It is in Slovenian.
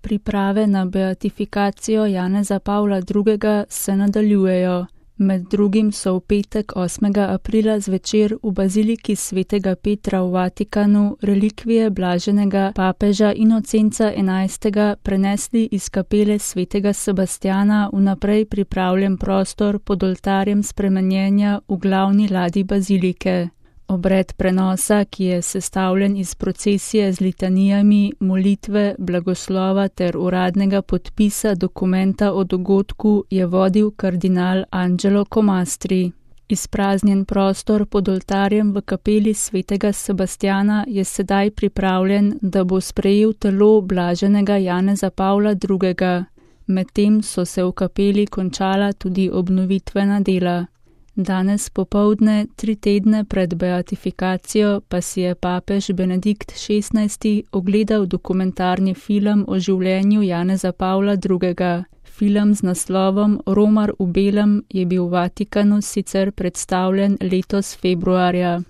Priprave na beatifikacijo Janeza Pavla II. Se nadaljujejo. Med drugim so v petek 8. aprila zvečer v baziliki svetega Petra v Vatikanu relikvije blaženega papeža Inocenca XI. Prenesli iz kapele svetega Sebastjana v naprej pripravljen prostor pod oltarjem spremenjenja v glavni ladji bazilike. Obred prenosa, ki je sestavljen iz procesije z litanijami, molitve, blagoslova ter uradnega podpisa dokumenta o dogodku, je vodil kardinal Angelo Comastri. Izpraznjen prostor pod oltarjem v kapeli svetega Sebastjana je sedaj pripravljen, da bo sprejel telo blaženega Janeza Pavla II. Medtem so se v kapeli končala tudi obnovitvena dela. Danes popoldne, 3 tedne pred beatifikacijo, pa si je papež Benedikt XVI. Ogledal dokumentarni film o življenju Janeza Pavla II. Film z naslovom Romar v belem je bil v Vatikanu sicer predstavljen letos februarja.